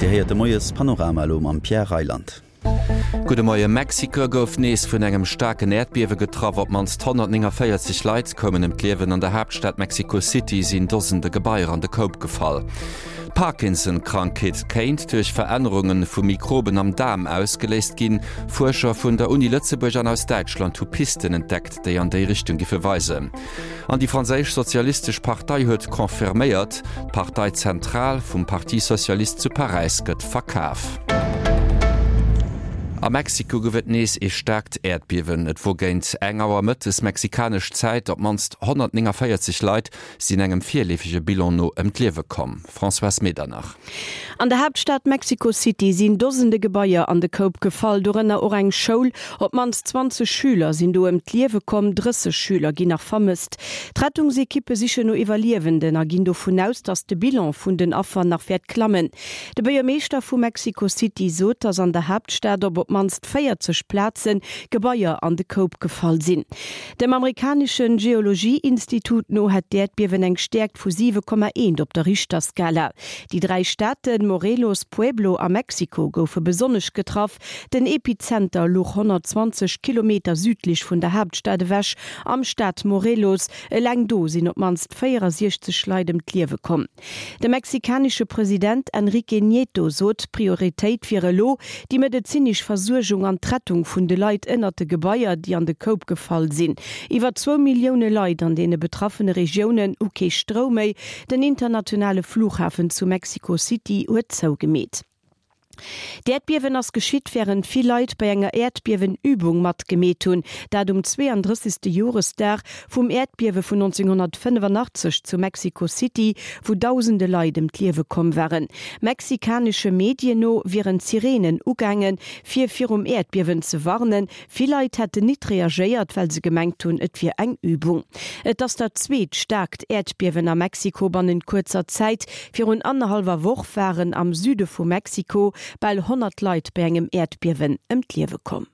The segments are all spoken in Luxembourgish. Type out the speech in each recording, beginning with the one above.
Dir héiert de Moies-Panorama elo mam Pierre Reyland. Gudde Moie, Mexiko gouf nees vun engem staarken Äerdbiewe getraff. Op d'mannst 149 Leit koumen ëm d'Liewen. An der Haaptstad Mexico City sinn Dosende Gebaier an de Koup gefall. D'Parkinson-Krankheet kéint duerch Verännerunge vu Mikroben am Daarm ausgeléist ginn. Fuerscher vun der Uni Lëtzebuerg an aus Däitschland hu Pisten entdeckt, déi an déi Richtung giffe weisen. An déi franséisch Sozialistesch Partei huet confirméiert, d'Parteizentral vum Parti Socialiste zu Paräis gëtt verkaf. A Mexiko gouf et nees ee staarkt Äerdbiewen. Et wor géint eng Auer mëttes mexikanesch Zäit. Op d'mannst 149 Leit sinn engem virleefege Bilan no ëm d'Liewe komm. Françoise Medernach. An der Haaptstad Mexico City sinn Dosende Gebaier an de Koup gefall, dorënner och eng Schoul. Op d'mannst 20 Schüler sinn do ëm d'Liewe komm, 30 Schüler ginn nach vermësst. D'Rettungsekippe sichen no Iwwerliewenden a ginn dovun aus, datt de Bilan vun den Affer nach wäert klammen. De Buergermeeschter vu Mexico City sot, datt an der Haaptstad op op d'mannst 40 Plaze Gebaier an de Koup gefall sinn. Dem amerikanesche Geologie-Institut no hätt d'Äerdbiewen eng Stäerkt vu 7,1 op der Richterskala. Déi 3 Staate Morelos, Pueblo a Mexico goufe besonnesch getraff. Den Epizenter louch 120 Kilometer südlech vun der Haaptstad ewech, am Staat Morelos. Eleng do sinn op d'mannst 64 Leit ëm d'Liewe komm. De mexikanesche President Enrique Nieto sot, d'Prioritéit wier elo déi medezinesch Versuergung an d'Rettung vun de Leit ënnert de Gebaier, déi an de Koup gefall sinn. Iwwer zwou Millioune Leit an deene betraffene Regiounen hu kee Stroum méi. Den internationale Flughafen zu Mexico City huet zougemeet. D'Äerdbiewen ass geschitt, wärend vill Leit bei enger Äerdbiewen-Übung matgemeet hunn. Dat um 32. Joresdag vum Äerdbiewe vun 1985 zu Mexico City, wou dausende Leit ëm d'Liewe komm waren. Mexikanesche Medien no wieren d'Sireenen ugaangen, fir virum Äerdbiewen ze warnen. Vill Leit hätten nit reagéiert, well se gemengt hunn, et wier eng Übung. Et ass dat zweet staarkt Äerdbiewen a Mexiko bannent kuerzer Zäit. Virun annerhallwer Woch waren am Süde vu Mexiko bal 100 Leit bei engem Äerdbiewen ëm d'Liewe komm.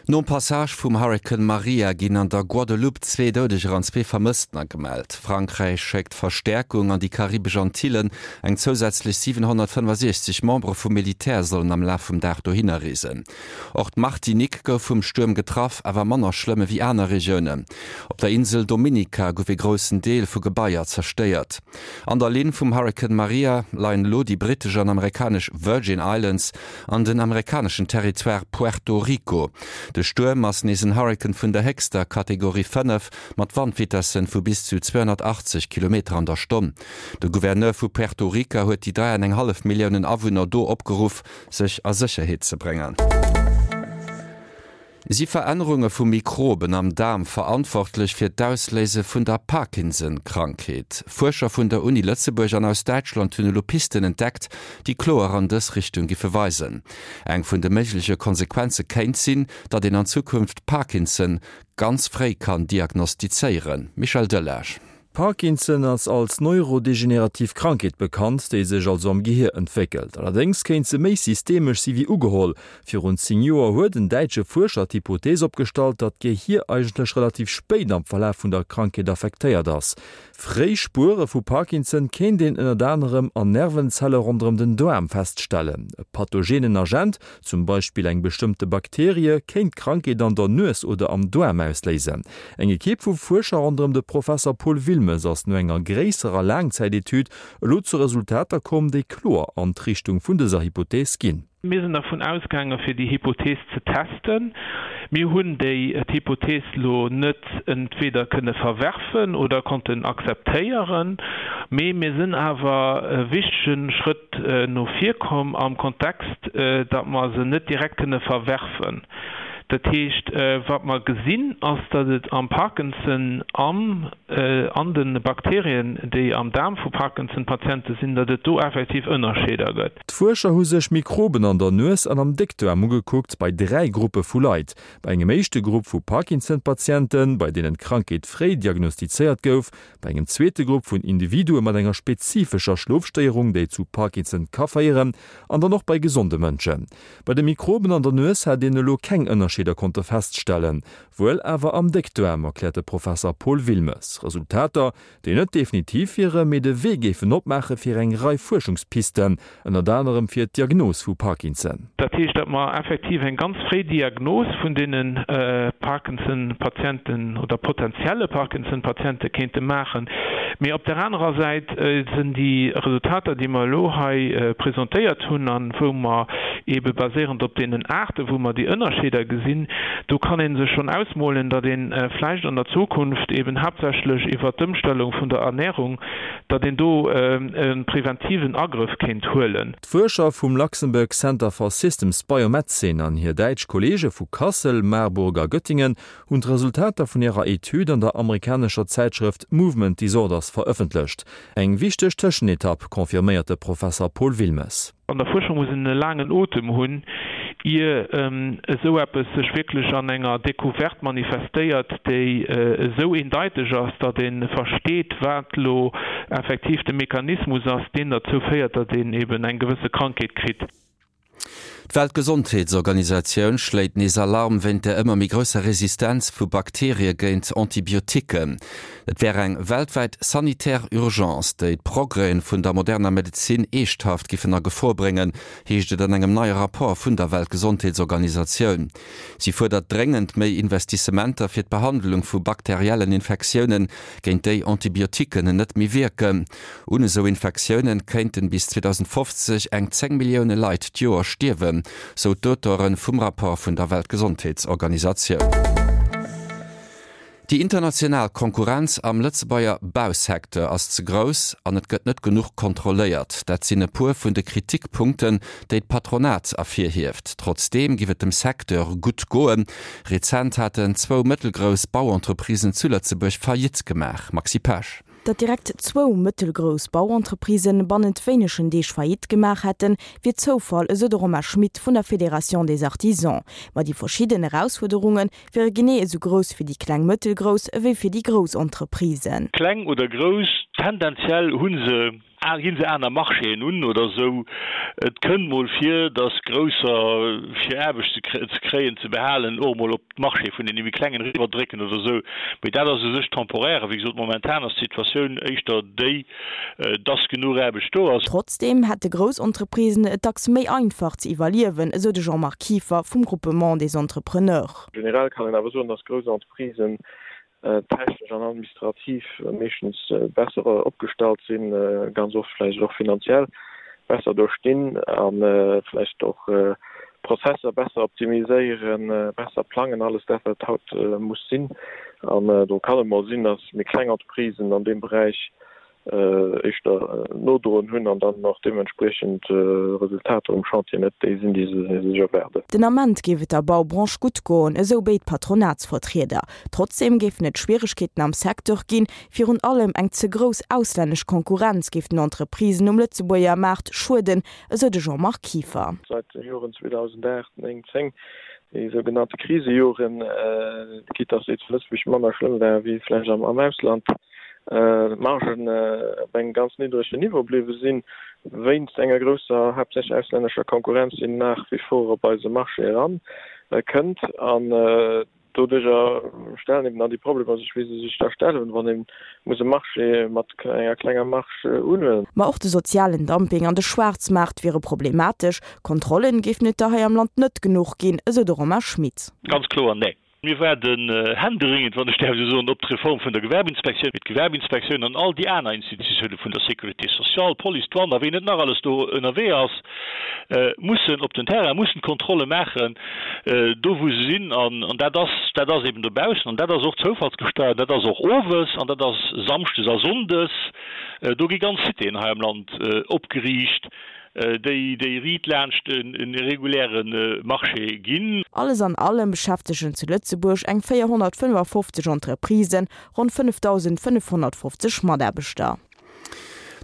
Nom Passage vum Hurrikan Maria ginn an der Guadeloupe zwee Doudeger an zwee Vermësstener gemellt. Frankräich schéckt Verstäerkung an déi karibesch Antillen. Eng zousätzlech 765 Membere vum Militär sollen am Laf vum Dag dohinner reesen. Och d'Martinique gouf vum Stuerm getraff, awer manner schlëmm ewéi aner Regiounen. Op der Insel Dominica gouf ee groussen Deel vu Gebaier zerstéiert. An der Linn vum Hurrikan Maria leien elo déi brittesch an amerikanesch Virgin Islands an den amerikaneschen Territoire Puerto Rico. De Stuerm ass nees en Hurrikan vun der héchster Kategorie 5 mat Wandvitessen vu bis zu 280 Kilometer an der Stonn. De Gouverneur vu Puerto Rica huet déi 3 an eng hallef Milliounen Awunner do opgeruff, sech a Sécherheet ze bréngen. Si Verännerunge vu Mikroben am Daarm verantwortlech fir d'Ausléise vun der Parkinson-Krankheet? Fuerscher vun der Uni Lëtzebuerg an aus Däitschland hunn elo Pisten entdeckt, déi kloer an dës Richtung giffe weisen. Eng vun de méigleche Konsequenze kéint sinn, datt een an Zukunft Parkinson ganz fréi kann diagnostizéieren. Michel Delage. Parkinson ass als neurodegenerativ Krankheet bekannt, déi sech also am Gehier entwéckelt. Allerdéngs kéint se méi systemesch si wéi ugeholl. Virun 10 Joer huet en däitsche Fuerscher d'Hypothees opgestallt, datt d'Gehier eigentlech relativ spéit am Verlaf vun der Krankheet affektéiert ass. Fréi Spuere vu Parkinson kéint een ënnert anerem an Nervenzelle ronderëm den Daarm feststellen. E pathogenen Agent, Zum Beispill eng bestëmmte Bakterie kéint d'Krankheet an der Nues oder am Daarm ausléisen. Eng Ekipp vu Fuerscher ronderëm de Professer Paul Wilmes ass no enger gréisserer Laangzäitetüd elo zu Resultater komm, déi kloer an d'Richtung vun dëser Hypothees ginn. Mir sinn dervun ausgaange fir déi Hypothees ze testen. Mir hunn déi Hypothees elo net entweder kënne verwerfen oder konnten akzeptéieren, mee mir sinn awer e wichtege Schrëtt no vir komm am Kontext, datt mer se net direkt kënne verwerfen. Dat heescht, wat mer gesinn, ass, datt et am Parkinson an an de Bakterien, déi am Daarm vu Parkinson-Patiente sinn, datt et do effektiv Ënnerscheeder gëtt. D'Fuerscher hu sech Mikroben an der Nues an am Déckdaarm ugekuckt bei 3 Gruppe vu Leit. Bei engem éischte Grupp vu Parkinson-Patienten, bei deenen d'Krankheet fréi diagnostizéiert gouf, Bei engem zweete Grupp vun Individue mat enger spezifescher Schlofstéierung, déi zu Parkinson ka féieren, an dann och bei gesonde Mënschen. Bei de Mikroben an der Nues hat een elo keng Ënnerscheeder. Ënnerscheeder konnte feststellen. Wuel awer am Déckdaarm, erkläert de Professer Paul Wilmes. Resultater, déi net definitiv wieren, mee de Wee géifen opmaache fir eng Rei Fuerschungspisten, ënnert anerem fir d'Diagnos vu Parkinson. Dat heescht, datt mer effektiv eng ganz fréi Diagnos vun deene Parkinson-Patienten oder potentielle Parkinson-Patiente kéinte maachen. Mee op där anerer Säit sinn déi Resultater, déi mer elo hei presentéiert hunn a wou mer eebe baséierend op deenen Aarte wou mer déi Ënnerscheeder gesinn, do kann ee sech schonn ausmolen, datt ee vläicht an der Zukunft eeben haaptsächlech iwwert d'Ëmstellung vun der Ernährung, datt een do e preventiven Agrëff kéint huelen. D'Fuerscher vum Luxembourg Center for Systems Biomedicine an hir däitsch Kolleege vu Kassel, Marburg a Göttingen hunn d'Resultater vun hirer Etüd an der amerikanescher Zäitschrëft Movement Disorders verëffentlecht. Eng wichteg Tëschenetapp, confirméiert de Professer Paul Wilmes. An der Fuerschung muss een e laangen Otem hunn, ier esou eppes sech wierklech an enger Decouverte manifestéiert, déi esou eendeiteg ass, datt ee versteet, wat elo effektiv de Mechanismus ass, deen derzou féiert, datt een eben eng gewësse Krankheet kritt. D'Weltgesondheetsorganisatioun schléit nees Alarm wéint der ëmmer méi grousser Resistenz vu Bakterie géint Antibiotiquen. Et wär eng weltwäit sanitär Urgence, déi d'Progrèsen vun der moderner Medezin eeschthaft giffen a Gefor bréngen, heescht et an engem neie Rapport vun der Weltgesondheetsorganisatioun. Si fuerdert dréngend méi Investissementer fir d'Behandlung vu bakteriellen Infektiounen, géint déi Antibiotiquen net méi wierken. Un esou Infektiounen kéinten bis 2050 eng 10 Millioune Leit d'Joer stierwen, sou d'Auteure vum Rapport vun der Weltgesondheetsorganisatioun. Déi international Konkurrenz am Lëtzebuerger Bausecteur ass ze grouss an et gëtt net genuch kontrolléiert. Dat sinn e puer vun de Kritikpunkten, déi d'Patronat ervirhieft. Trotzdeem giff et dem Secteur gutt goen. Rezent haten zwou mëttelgrouss Bauentreprisen zu Lëtzebuerg Faillite gemaach. Maxi Pesch. Datt direkt zwou mëttelgrouss Bauentreprisen bannent wéinegen Deeg Faillite gemaach hätten, wier Zoufall, esou de Romain Schmit vun der Fédération des Artisans. Ma déi verschidden Erausfuerderunge wiere genee esou grouss fir déi kleng mëttelgrouss ewéi fir déi grouss Entreprisen. Kleng oder grouss, tendenziell hu se Ginn se aner Marchéen un oder esou? Et kënnt mol vir, datt Grousser, fir Aarbecht ze kréien, ze behalen, och emol op d'Marchéë vun deene méi Klengen eriwwerdrécken oder esou. Mee dat ass u sech temporaire. Wéi gesot, momentan ass d'Situatioun éischter déi, datt genuch Aarbecht do ass. Trotzdeem hätte grouss Entreprisen et dacks méi einfach ze iwwerliewen, esou de Jean-Marc Kieffer vum Groupement des Entrepreneurs. Generell kann een awer soen, datt grouss Entreprisen technesch an administrativ meeschtens besser opgestallt sinn, ganz oft vläicht och finanziell besser do stinn a vläicht och Prozesser besser optimiséieren, besser plangen, alles dat wat haut muss sinn. An do kann et mol sinn, datt méi kleng Entreprisen an deem Beräich éischter nodroen hunn an dann och deementspriechend Resultater um Chantier net déi sinn, déi se sech erwaarden. Den Ament géif et der Baubranche gutt goen, esou béid Patronatsvertrieder. Trotzdeem géifen et Schwieregkeeten am Secteur ginn. Virun allem eng ze grouss auslännesch Konkurrenz géif den Entreprisen um Lëtzebuerger Maart schueden, esou de Jean-Marc Kieffer. Seit de Joren 2008, 9, 10, déi sougenannte Krisejoren, quitte dass déi zu Lëtzebuerg manner schlëmm war wéi vläicht am Ausland, d'Margen op engem ganz niddregen Niveau bliwwe sinn, wéinst enger grousser, haaptsächlech auslännescher Konkurrenz, déi nach wie vor op eise Marché eran kënnt. An doduerjer stellen eben dann déi Problemer sech, wéi se sech da stellen, wann ee muss e Marché mat enger klenger Marge unhuelen. Ma och de sozialen Dumping an de Schwaarzmaart wiere problematesch. Kontrollen géifen et der hei am Land net genuch ginn, esou de Romain Schmit. Ganz kloer, nee. Mir waarden händeringend, wann ech däerf esou soen, op d'Reform vun der Gewerbeinspektioun, mee d'Gewerbeinspektioun an all déi aner Institutioune vun der Sécurité sociale, d'Police, d'Douane a ween net nach alles do ënnerwee ass, mussen op den Terrain, mussen d'Kontrolle maachen, do wou se sinn. An dat ass, dat ass eben dobaussen an dat ass och zoufallsgesteuert, dat ass och owes an dat ass samschdes a sonndes. Do gi ganz Citéen hei am Land opgeriicht. déi déi riit laanscht e reguläre Marché ginn. Alles an allem beschäftegen zu Lëtzebuerg eng 455 Entreprisen ronn 5.550 Mataarbechter.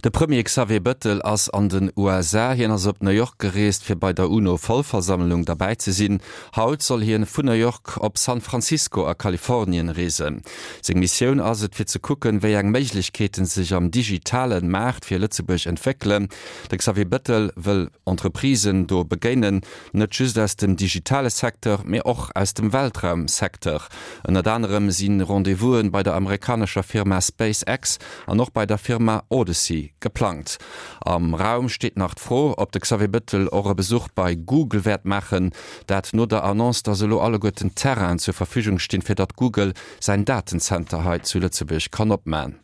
De Premier Xavier Bëttel ass an den USA. Hien ass op New York gereest, fir bei der UNO-Vollversammlung derbäi ze sinn. Haut soll hien vun New York op San Francisco a Kalifornien reesen. Seng Missioun ass et, fir ze kucken, wéi eng Méiglechkeeten sech am digitalen Maart fir Lëtzebuerg entwéckelen. De Xavier Bëttel wëll Entreprisen do begéinen, net just aus dem digitale Secteur, mee och aus dem Weltraum-Secteur. Ënnert anerem si Rendez-vous'en bei der amerikanescher Firma SpaceX an och bei der Firma Odyssey geplangt. Am Raum steet nach d'Fro, ob de Xavier Bettel och e Besuch bei Google wäert maachen. Dat no der Annonce, datt elo alleguerten d'Terrainen zur Verfügung stinn, fir datt Google säin Datenzenter hei zu Lëtzebuerg kann opman.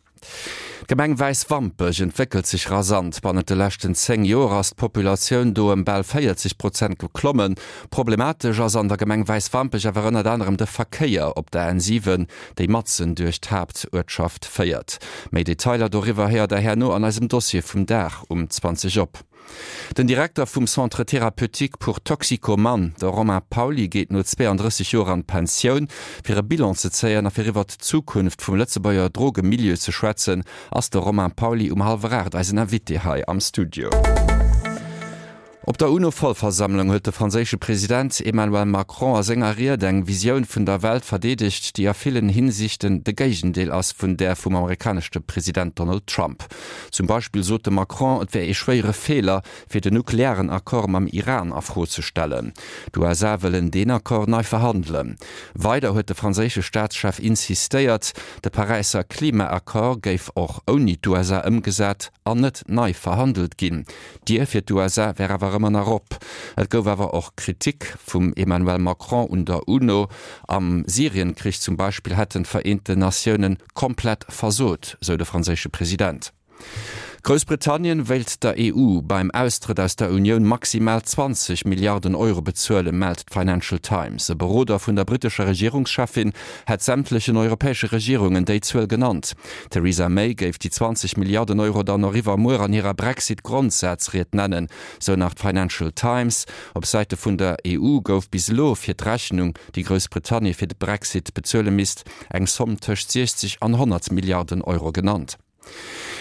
D'Gemeng Wäiswampech entwéckelt sech rasant. Bannent de leschten 10 Joer ass d'Populatioun do ëm bal 40 Prozent geklommen. Problematesch ass an der Gemeng Wäiswampech awer ënnert anerem de Verkéier op der N7, déi matzen duerch d'Haaptuertschaft féiert. Méi Detailer doriwwer héiert der herno an eisem Dossier vum Dag um 20 op. Den Direkter vum Centre thérapeutique pour toxicomanes, de Romain Pauly, geet no 32 Joer an d'Pensioun. Fir e Bilan ze zéien a fir iwwert d'Zukunft vum Lëtzebuerger Drogemilieu ze schwätzen, ass de Romain Pauly um hallwer 8 eisen Invité hei am Studio. Op der UNO-Vollversammlung huet de franséische President Emmanuel Macron a senger Ried eng Visioun vun der Welt verdeedegt, déi a villen Hinsichten de Géigendeel ass vun där vum amerikaneschte President Donald Trump. Zum Beispill sot de Macron, et wär ee schwéiere Feeler, fir den nuklearen Accord mam Iran a Fro ze stellen. D'USA wëllen deen Accord nei verhandelen. Weider huet de franséische Staatschef insistéiert, de Paräisser Klimaaccord géif och ouni d'USA ëmgesat an net nei verhandelt ginn. D'Dier fir d'USA wär awer ëmmer nach op. Et gouf awer och Kritik vum Emmanuel Macron un der UNO. Am Syrien-Krich zum Beispill hätten d'Vereenten Natioune komplett versot, sou de franséische President. Groussbritannien wéilt der EU beim Austrëtt aus der Unioun maximal 20 Milliarden Euro bezuelen, mellt d'Financial Times. E Beroder vun der brittescher Regierungscheffin hätt sämtlechen europäesche Regierungen déi Zuel genannt. D'Theresa May géif déi 20 Milliarden Euro dann och iwwermuer an hirer Brexit-Grondsazried nennen, sou nach d'Financial Times. Op Säite vun der EU gouf bis elo fir d'Rechnung, déi Groussbritannien fir de Brexit bezuele misst, eng Somm tëscht 60 an 100 Milliarden Euro genannt.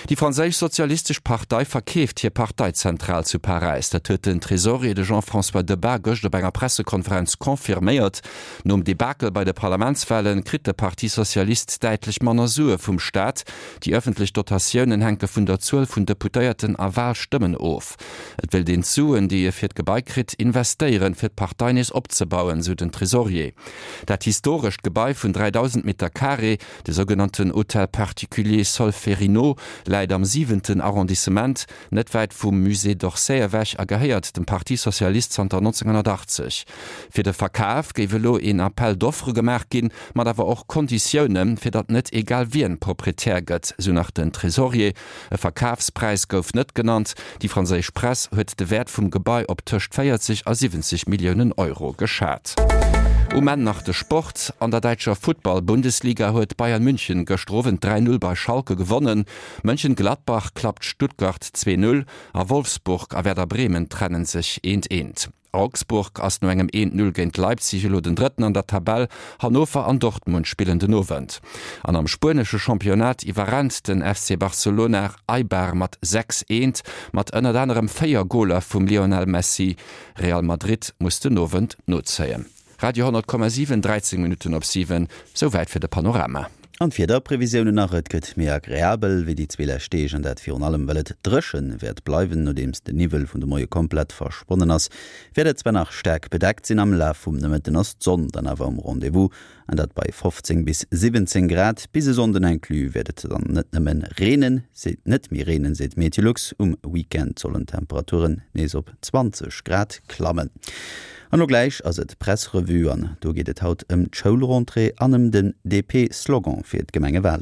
Déi franséisch Sozialistesch Partei verkeeft hir Parteizentral zu Paräis. Dat huet den Tresorier, de Jean-François Debat, gëscht op enger Pressekonferenz confirméiert. Nom Debakel bei de Parlamentswalen kritt de Parti Socialiste däitlech manner Sue vum Staat. Déi ëffentlech Dotatiounen hänke vun der Zuel vun Deputéierten a Walstëmmen of. Et wéilt een d'Suen, déi e fir d'Gebai kritt, investéieren, fir d'Partei nees opzebauen, sou den Tresorier. Dat historescht Gebai vun 3.000 Meter Carré, De sougenannten Hôtel particulier Solferino läit am siwenten Arrondissement, net wäit vum Musée d'Orsay ewech a gehéiert dem Parti Socialiste zanter 1980. Fir de Verkaf géif elo een Appel d'offres gemaach ginn, mat awer och Konditioune fir datt net egal wien Proprietär gëtt, sou nach den Tresorier. E Verkafspräis gouf net genannt. Déi franséisch Press huet de Wäert vum Gebai op tëscht 40 a 70 Milliounen Euro geschat. Um Enn nach de Sport, An der däitscher Futtball-Bundesliga huet Bayern München gëschter Owend 3, 0 bei Schalke gewonnen. Mönchengladbach klappt Stuttgart 2, 0 a Wolfsburg a Werder Bremen trennen sech eent, eent. Augsburg ass no engem 1, 0 géint Leipzig elo den Drëtten an der Tabell. Hannover an Dortmund spillen den Owend. An am spuenesche Championnat iwwerrennt den FC Barcelona Eibar mat 6, 1, mat ënnert anerem 4 Goler vum Lionel Messi. Real Madrid muss den Owend nozéien. Radio 10,7, 13 Minutten op 7, souwäit fir de Panorama. An d'Wiederprevisiounen nach, Et gëtt méi agreabel wéi déi zwee lescht Deeg, an dat virun allem well et dréche wäert bleiwen. Nodeems de Niwwel vun de Moie komplett verschwonnen ass, wäert et zwar nach staark bedeckt sinn, am Laf vum Nomëtten ass d'Sonn dann awer um Rendez-vous, an dat bei 15 bis 17 Grad. Bis e Sonnden inclus wäert et dann net nëmme reenen, seet net méi reenen, seet Meteolux. Um Weekend sollen d'Temperaturen nees op 20 Grad klammen. An elo gläich ass et Pressrevue an do geet et haut ëm d'Schoulrentrée an ëm den DP-Slogan fir d'Gemengewalen.